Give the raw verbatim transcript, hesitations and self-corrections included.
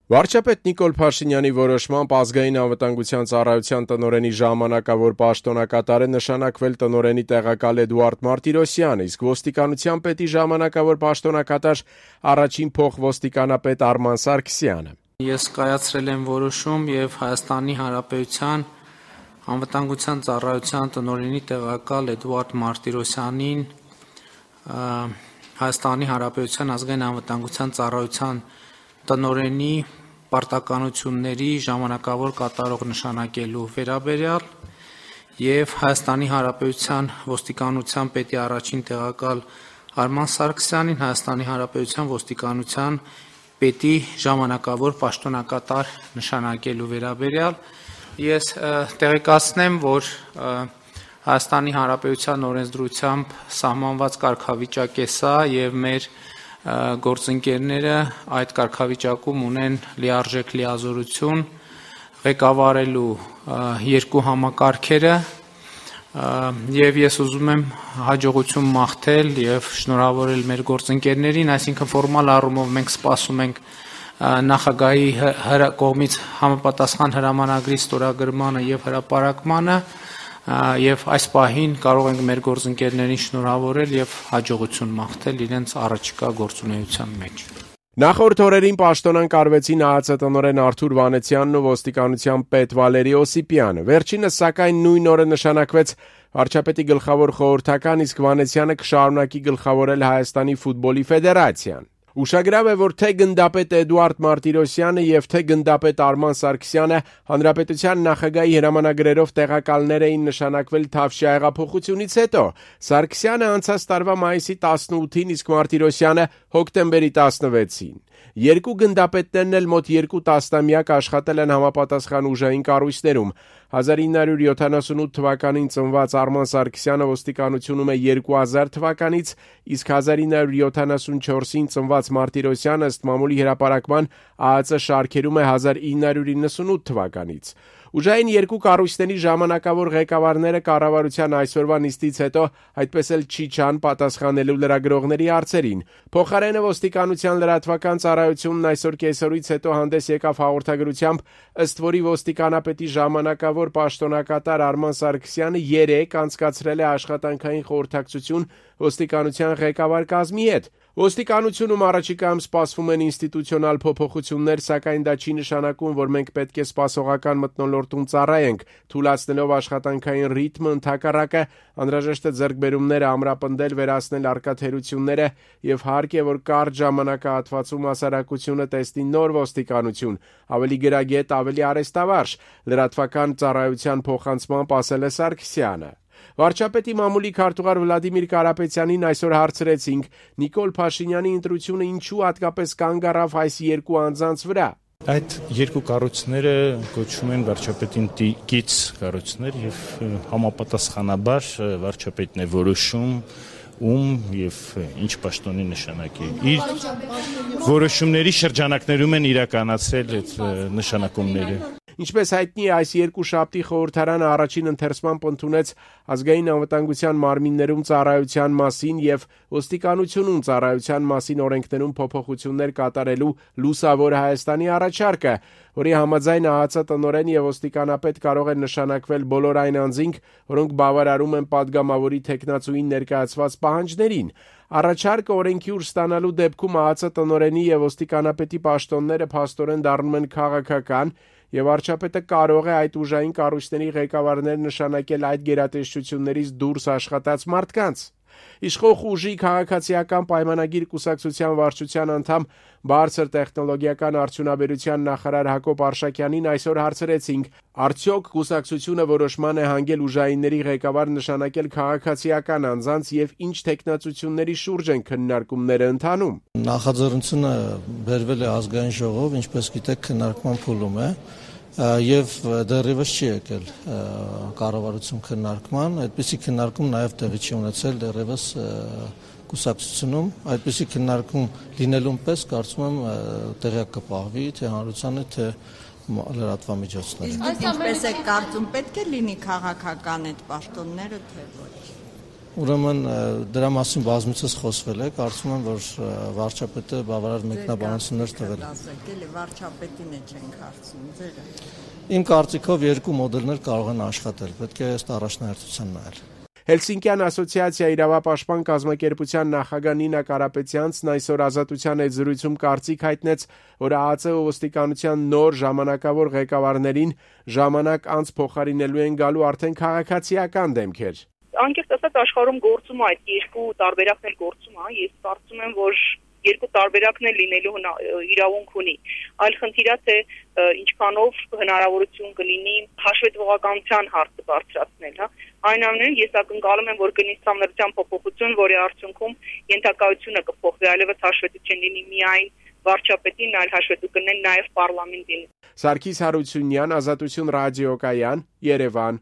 Վարչապետ Նիկոլ Փաշինյանի որոշմամբ ազգային անվտանգության ծառայության տնօրենի ժամանակավոր պաշտոնակատարը նշանակվել տնօրենի տեղակալ Էդուարդ Մարտիրոսյանը, իսկ ոստիկանության պետի ժամանակավոր պաշտոնակատար առաջին փոխոստիկանապետ Արման Սարգսյանը։ Ես կայացրել եմ որոշում եւ Հայաստանի Հանրապետության անվտանգության ծառայության տնօրենի տեղակալ Էդուարդ Մարտիրոսյանին Հայաստանի Հանրապետության ազգային անվտանգության ծառայության տնօրենի պարտականությունների ժամանակավոր կատարող նշանակելու վերաբերյալ եւ Հայաստանի Հանրապետության ոստիկանության պետի առաջին տեղակալ Արման Սարգսյանին Հայաստանի Հանրապետության ոստիկանության պետի ժամանակավոր պաշտոնակատար նշանակելու վերաբերյալ ես տեղեկացնեմ, որ Հայաստանի Հանրապետության օրենսդրությամբ սահմանված կարգավիճակ է սա եւ մեր գործընկերները այդ կարգավիճակում ունեն լիարժեք լիազորություն ղեկավարելու երկու համակարգերը եւ ես ուզում եմ հաջողություն մաղթել եւ շնորհավորել մեր գործընկերներին, այսինքն ֆորմալ առումով մենք սպասում ենք նախագահի կողմից համապատասխան հրամանագրի ստորագրմանը եւ հրապարակմանը եւ այս պահին կարող ենք մեր գործընկերներին շնորհավորել եւ հաջողություն մաղթել իրենց առաջիկա գործունեության մեջ։ Նախորդ օրերին պաշտոնանկ արվեցին ԱԱԾ տնօրեն Արթուր Վանեցյանն ու ոստիկանության պետ Վալերի Օսիպյանը։ Վերջինս սակայն նույն օրը նշանակվեց վարչապետի գլխավոր խորհրդական, իսկ Վանեցյանը կշարունակի գլխավորել Հայաստանի ֆուտբոլի ֆեդերացիան։ Ուշագրավ է, որ թե գնդապետ Էդուարդ Մարտիրոսյանը եւ թե գնդապետ Արման Սարգսյանը հանրապետության նախագահի հրամանագրերով տեղակալներ էին նշանակվել Թավշյա հեղափոխությունից հետո։ Սարգսյանը անցած տարվա մայիսի տասնութին, իսկ Մարտիրոսյանը հոկտեմբերի տասնվեցին։ Երկու գնդապետներն էլ մոտ երկու տասնամյակ աշխատել են համապատասխան ուժային կառույցներում։ հազար ինը հարյուր յոթանասունութ թվականին ծնված Արման Սարգսյանը ոստիկանությունում է երկու հազար թվականից, իսկ հազար ինը հարյուր յոթանասունչորսին ծնված Մարտիրոսյանը ըստ մամուլի հրապարակման ԱԱԾ շարքերում է հազար ինը հարյուր իննսունութ թվականից։ Ուժային երկու կառույցների ժամանակավոր ղեկավարները կառավարության այսօրվա նիստից հետո այդպես էլ չի չան պատասխանելու լրագրողների հարցերին։ Փոխարենը ոստիկանության լրատվական ծառայությունն այսօր կեսօրից հետո հանդես եկավ հաղորդագրությամբ, ըստ որի ոստիկանապետի ժամանակավոր պաշտոնակատար Արման Սարգսյանը երեկ անցկացրել է աշխատանքային խորհրդակցություն ոստիկանության ղեկավար կազմի հետ։ Ոստիկանությունում առաջիկայում սպասվում են ինստիտուցիոնալ փոփոխություններ, սակայն դա չի նշանակում, որ մենք պետք է սպասողական մթնոլորտում ծառայենք, թույլատնելով աշխատանքային ռիթմը, ընդհակառակը անհրաժեշտ է ձեռքբերումները ամրապնդել, վերացնել առկա թերությունները եւ հարկ է, որ կարճ ժամանակահատվածում հասարակությունը տեսնի նոր ոստիկանություն, ավելի գրագետ, ավելի արեստավարժ, լրատվական ծառայության փոխանցմամբ ասել է Սարգսյանը։ Վարչապետի մամուլի քարտուղար Վլադիմիր Կարապետյանին այսօր հարցրեցինք Նիկոլ Փաշինյանի ընտրությունը ինչու հատկապես կանգ առավ այս երկու անձանց վրա։ Այդ երկու կառույցները կոչվում են վարչապետին տիկից կառույցներ եւ համապատասխանաբար վարչապետն է որոշում ում եւ ինչ պաշտոնի նշանակի։ Իր որոշումների շրջանակներում են իրականացրել այդ նշանակումները։ Ինչպես հայտնի է, այս երկու շաբթի խորհրդարանը առաջին ընթերցմամբ ընդունեց ազգային անվտանգության մարմիններում ծառայության մասին եւ ոստիկանությունում ծառայության մասին օրենքներում փոփոխություններ կատարելու լուսավոր Հայաստանի առաջարկը, որի համաձայն ԱԱԾ տնօրեն եւ ոստիկանապետ կարող են նշանակվել բոլոր այն անձինք, որոնք բավարարում են падգամավորի թեկնածուին ներկայացված պահանջներին։ Առաջարկը օրենքի ուժ ստանալու դեպքում ԱԱԾ տնօրենի եւ ոստիկանապետի պաշտոնները փաստորեն դառնում են քաղաքական եւ վարչապետը կարող է այդ ուժային կառույցների ղեկավարներ նշանակել այդ գերատեսչություններից դուրս աշխատած մարդկանց։ Իշխող ուժի քաղաքացիական պայմանագիր կուսակցության վարչության անդամ բարձր տեխնոլոգիական արդյունաբերության նախարար Հակոբ Արշակյանին այսօր հարցրեցինք. արդյոք կուսակցությունը որոշման է հանգել ուժայինների ղեկավար նշանակել քաղաքացիական անձանց եւ ինչ տեխնացությունների շուրջ են քննարկումները ընթանում։ Նախաձեռնությունը բերվել է ազգային ժողով, ինչպես գիտեք, քննարկման փուլում է եւ դեռևս չի եկել կառավարություն քննարկման, այդպիսի քննարկում նաեւ տեղի չի ունեցել դեռևս կուսակցությունում, այդպիսի քննարկում լինելուն պես կարծում եմ տեղյակ կպահվի թե հանրությանը, թե լրատվամիջոցները։ Ինչպես է կարծում, պետք է լինի քաղաքական այդ պաշտոնները, թե ոչ։ Ուրեմն դրա մասին բազմիցս խոսվել է, կարծում եմ, որ վարչապետը բավարար մեկնաբանություններ տվել է։ Ասել վարչապետին է չենք հարցնում, ձերը։ Իմ կարծիքով երկու մոդելներ կարող են աշխատել, պետք է ըստ առաջնահերթության նայել։ Հելսինկյան ասոցիացիա իրավապաշտպան կազմակերպության նախագահ Նինա Կարապետյանցն այսօր Ազատության հետ զրույցում կարծիք հայտնեց, որ ԱԱԾ ու ոստիկանության նոր ժամանակավոր ղեկավարներին ժամանակ անց փոխարինելու են գալու արդեն քաղաքացիական դեմքեր։ Անկեղծ ասած աշխարհում գործում է այդ երկու տարբերակներ գործում է, ես կարծում եմ, որ երկու տարբերակն էլ լինելու իրավունք ունի։ Այլ խնդիրը թե ինչքանով հնարավորություն կլինի հաշվետվողականության հարցը բարձրացնել, հա։ Այնուամենայնիվ ես ակնկալում եմ, որ կլինի համներության փոփոխություն, որի արդյունքում ենթակայությունը կփոխվի, այլևս հաշվետու չլինի միայն վարչապետին, այլ հաշվետու կլինեն նաև պարլամենտին։ Սարգիս Հարությունյան, Ազատություն ռադիոկայան, Երևան։